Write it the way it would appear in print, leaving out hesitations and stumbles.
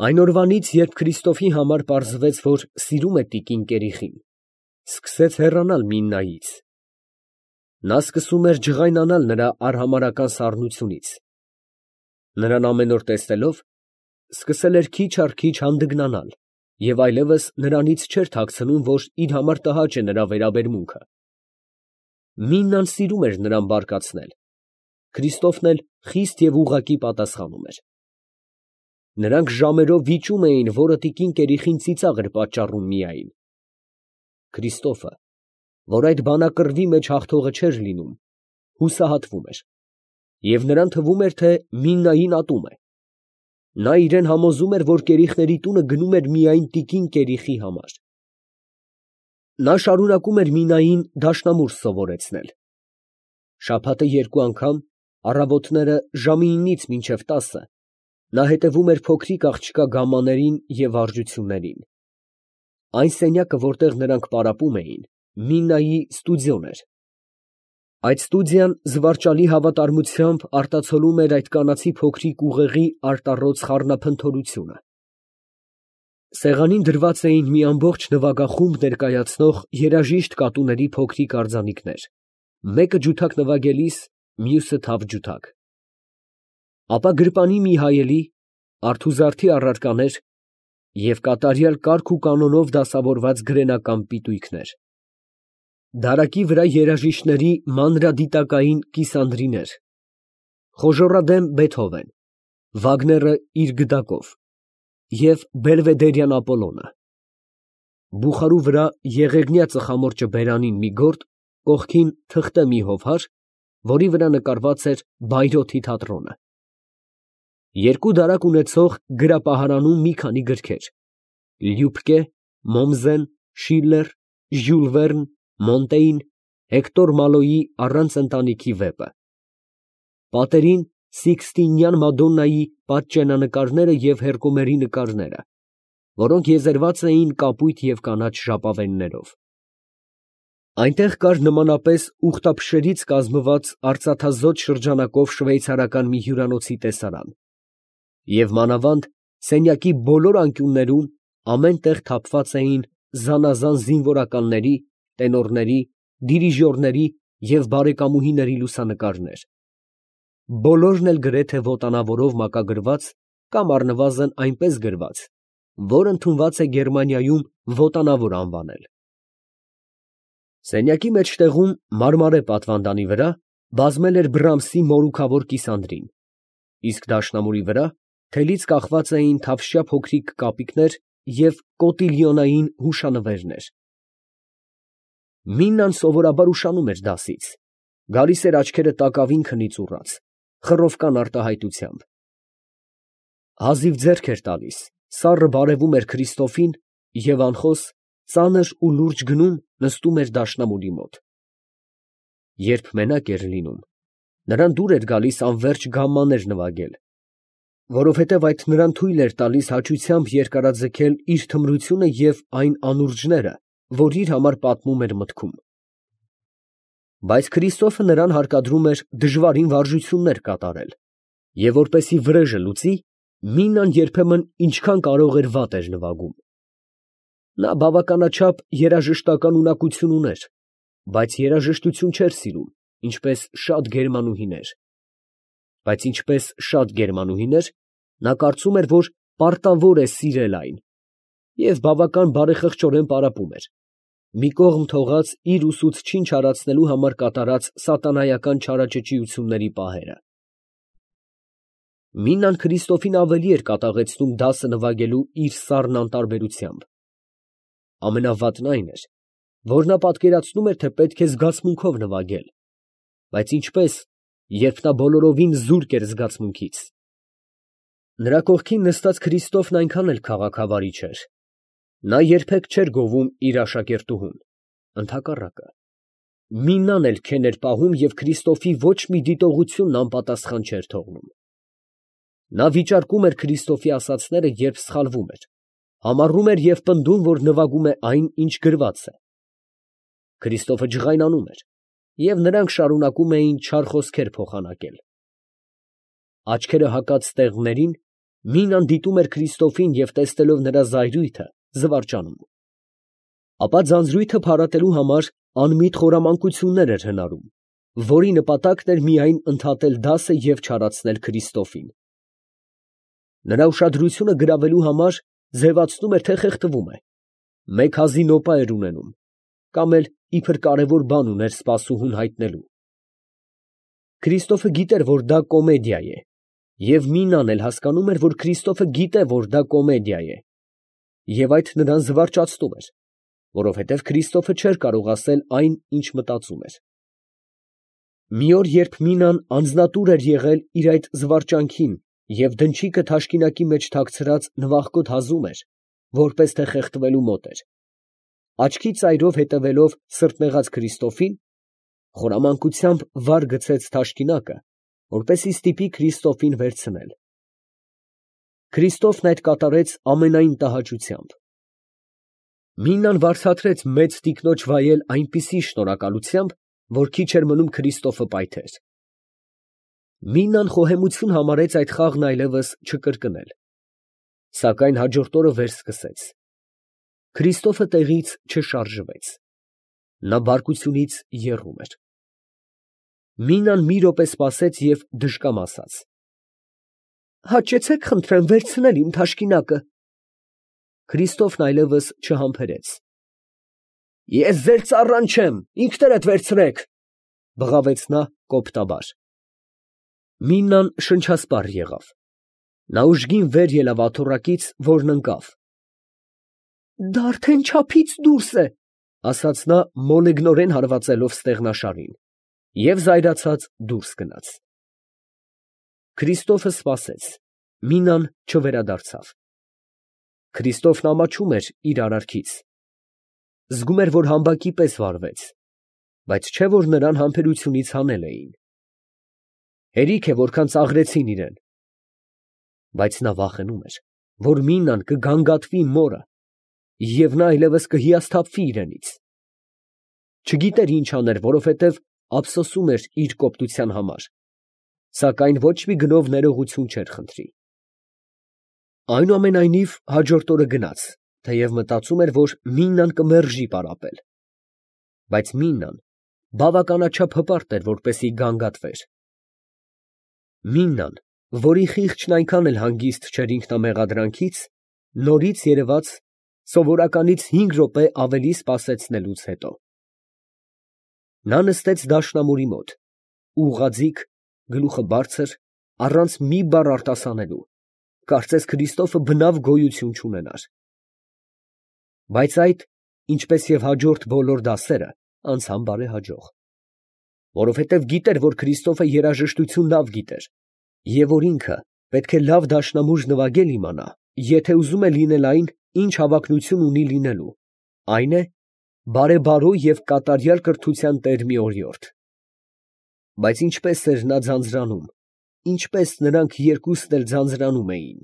Այն օրվանից, երբ Քրիստոֆի համար պարզվեց, որ սիրում է տիկին Կերիխին, սկսեց հեռանալ Միննայից. նա սկսում էր ջղայնանալ նրա արհամարհական սառնությունից. նրան ամեն օր տեսնելով, սկսել էր քիչ առ քիչ հանդգնանալ և այլևս նրանից չէր թաքցնում, որ իր համար տհաճ է նրա վերաբերմունքը։ Միննան սիրում էր նրան բարկացնել, Քրիստոֆն էլ խիստ և ուղղակի պատասխանում էր։ Նրանք ժամերով վիճում էին, որը տիկին Կերիխին ծիծաղ էր պատճառում միայն։ Քրիստոֆը, որ այդ բանակռվի մեջ հաղթողը չէր լինում, հուսահատվում էր, և նրան թվում էր, թե Միննային ատում է։ Նա իրան համոզում էր, որ Կերիխների տունը գնում էր միայն տիկին Կերիխի համար։ Նա շարունակում էր Միննային դաշնամուր սովորեցնել։ Շաբաթը երկու անգամ, առավոտները ժամը 9-ից մինչև 10, նա հետևում էր փոքրիկ աղջկա գամմաներին և վարժություններին։ Այն սենյակը, որտեղ նրանք պարապում էին, Միննայի ստուդիոն էր։ Այդ ստուդիան զվարճալի հավատարմությամբ արտացոլում էր այդ կանացի փոքրիկ ուղեղի արտառոց խառնափնթորությունը։ Սեղանին դրված էին մի ամբողջ նվագախումբ ներկայացնող երաժիշտ կատուների փոքրիկ արձանիկներ, մեկը ջութակ նվագելիս, մյուսը թավ ջութակ։ Ապա գրպանի մի հայելի, արթուզարդի առարկաներ և կատարյալ կարգ ու կանոնով դասավորված գրենական պիտույքներ։ Դարակի վրա երաժիշտների մանրադիտակային կիսանդրիներ, խոժոռադեմ Բեթհովեն, Վագները իր գդակով և Բելվեդերյան Ապոլոնը։ Բուխարու վրա եղեգնյա ծխամորճը բերանին մի գորգ, կողքին թղթե մի հովհար, որի վրա նկարված էր Բայրոթի թատրոնը։ Երկու դարակ ունեցող գրապահարանում մի քանի գրքեր՝ Լյուբկե, Մոմզեն, Շիլլեր, Ժյուլ Վերն, Մոնտեյն, Հեկտոր Մալոյի «Առանց ընտանիքի» վեպը։ Պատերին Սիկստինյան Մադոննայի պատճենանկարները և Հերկոմերի նկարները, որոնք եզերված էին կապույտ և կանաչ ժապավեններով։ Այնտեղ կար նմանապես ուղտափշերից կազմված արծաթազոտ շրջանակով շվեյցարական մի հյուրանոցի տեսարան, և մանավանդ սենյակի բոլոր անկյուններում ամեն տեղ թափված էին զանազան զինվորականների, տենորների, դիրիժորների և բարեկամուհիների լուսանկարներ, բոլորն էլ գրեթե ոտանավորով մակագրված կամ առնվազն այնպես գրված, որ ընդունված է Գերմանիայում ոտանավոր անվանել։ Սենյակի մեջտեղում մարմարե պատվանդանի վրա բազմել էր Բրամսի մորուքավոր կիսանդրին, իսկ դաշնամուրի վրա թելից կախված էին թավշյա փոքրիկ կապիկներ և կոտիլյոնային հուշանվերներ։ Միննան սովորաբար ուշանում էր դասից, գալիս էր աչքերը տակավին քնից ուռած, խռովկան արտահայտությամբ։ Հազիվ ձեռք էր տալիս, սառը բարևում էր Քրիստոֆին և անխոս, ծանր ու լուրջ գնում նստում էր դաշնամուրի մոտ։ Երբ մենակ էր լինում, նրան դուր էր գալիս անվերջ գամմաներ նվագել, որովհետև այդ նրան թույլ էր տալիս հաճությամբ երկարաձգել իր թմրությունը և այն անուրջները, որ իր համար պատմում էր մտքում։ Բայց Քրիստոֆը նրան հարկադրում էր դժվարին վարժություններ կատարել, և որպեսզի վրեժը լուծի, Միննան երբեմն ինչքան կարող էր վատ էր նվագում։ Նա բավականաչափ երաժշտական ունակություն ուներ, բայց երաժշտություն չէր սիրում, ինչպես շատ գերմանուհիներ։ Բայց ինչպես շատ գերմանուհիներ, նա կարծում էր, որ պարտավոր է սիրել այն, և բավական բարեխղճորեն պարապում էր, մի կողմ թողած իր ուսուցչին չարացնելու համար կատարած սատանայական չարաճճիությունների պահերը։ Միննան Քրիստոֆին ավելի էր կատաղեցնում դասը նվագելու իր սառն անտարբերությամբ։ Ամենավատն այն էր, որ նա պատկերացնում էր, թե պետք է զգացմունքով նվագել, բայց ինչպես, երբ նա բոլորովին զուրկ էր զգացմունքից։ Նրա կողքին նստած Քրիստոֆն այնքան էլ քաղաքավարի չէր։ Նա երբեք չէր գովում իր աշակերտուհուն, ընդհակառակը, Միննան էլ քեն էր պահում և Քրիստոֆի ոչ մի դիտողությունն անպատասխան չէր թողնում։ Նա վիճարկում էր Քրիստոֆի ասածները, երբ սխալվում էր, համառում էր և պնդում, որ նվագում է այն, ինչ գրված է։ Քրիստոֆը ջղայնանում էր, և նրանք շարունակում էին չար խոսքեր փոխանակել։ Աչքերը հակած տեղներին Մինան դիտում էր Քրիստոֆին և տեսնելով նրա զայրույթը, զվարճանում։ Ապա ձանձրույթը փարատելու համար անմիտ խորամանկություններ էր հնարում, որի նպատակն էր միայն ընդհատել դասը և չարացնել Քրիստոֆին։ Նրա ուշադրությունը գրավելու համար ձևացնում էր, թե խեղդվում է, մեկ հազի նոպա էր ունենում, կամ էլ իբր կարևոր բան ուներ սպասուհուն հայտնելու։ Քրիստոֆը գիտեր, որ դա կոմեդիա է, և Մինան էլ հասկանում էր, որ Քրիստոֆը գիտե, որ դա կոմեդիա է, և այդ նրան զվարճացնում էր, որովհետև Քրիստոֆը չէր կարող ասել այն, ինչ մտածում էր։ Մի օր, երբ Մինան անձնատուր էր եղել իր այդ զվարճանքին և դնչիկը թաշկինակի մեջ թաքցրած նվախկոտ հազում էր, որպես թե խեղդվելու մոտ էր, աչքի ծայրով հետևելով սրտնեղած Քրիստոֆին, խորամանկությամբ վար գցեց թաշկինակը, որպեսզի ստիպի Քրիստոֆին վերցնել։ Քրիստոֆն այդ կատարեց ամենայն տհաճությամբ։ Մինան վարձատրեց մեծ տիկնոջ վայել այնպիսի շնորհակալությամբ, որ քիչ էր մնում Քրիստոֆը պայթեր։ Մինան խոհեմություն համարեց այդ խաղն այլևս չկրկնել, սակայն հաջորդ օրը վերսկսեց։ Քրիստոֆը տեղից չշարժվեց։ Նա բարկությունից եռում էր։ Մինան մի րոպե սպասեց և դժկամ ասաց. «Հաճեցեք, խնդրեմ, վերցնել իմ թաշկինակը»։ Քրիստոֆն այլևս չհամբերեց։ «Ես ձեր ծառան չեմ, ինքներդ վերցրեք», բղավեց նա կոպտաբար։ Մինան շնչասպառ եղավ։ Նա ուժգին վեր ելավ աթոռակից, որն ընկավ։ «Դա արդեն չափից դուրս է», ասաց նա մոլեգնորեն հարվածելով ստեղնաշարին, և զայրացած դուրս գնաց։ Քրիստոֆը սպասեց, Մինան չվերադարձավ։ Քրիստոֆն ամաչում էր իր արարքից։ Զգում էր, որ համբակի պես վարվեց, բայց չէ՞ որ նրան համբերությունից հանել էին։ Հերիք է, որքան ծաղրեցին իրան։ Բայց նա վախենում էր, որ Մինան կգանգատվի մորը, և նա այլևս կհիասթափվի իրենից։ Չգիտեր ինչ աներ, որովհետև ափսոսում էր իր կոպտության համար, սակայն ոչ մի գնով ներողություն չէր խնդրի։ Այնուամենայնիվ հաջորդ օրը գնաց, թեև մտածում էր, որ Մինան կմերժի պարապել։ Բայց Մինան բավականաչափ հպարտ էր, որպեսզի գանգատվեր։ Մինան, որի խիղճն այնքան էլ հանգիստ չէր ինքնամեղադրանքից, նորից երևաց սովորականից 5 րոպե ավելի սպասեցնելուց հետո։ Նա նստեց դաշնամուրի մոտ, ուղղաձիգ, գլուխը բարձր, առանց մի բառ արտասանելու, կարծես Քրիստոֆը բնավ գոյություն չունենար։ Բայց այդ, ինչպես և հաջորդ բոլոր դասերը, անցան բարեհաջող, որովհետև գիտեր, որ Քրիստոֆը երաժշտություն լավ գիտեր, և որ ինքը պետք է լավ դաշնամուր նվագել իմանա, եթե ուզում է լինել այն, ինչ հավակնություն ունի լինելու, այն է, բարեբարո և կատարյալ կրթության տեր մի օրիորդ։ Բայց ինչպես էր նա ձանձրանում, ինչպես նրանք երկուսն էլ ձանձրանում էին։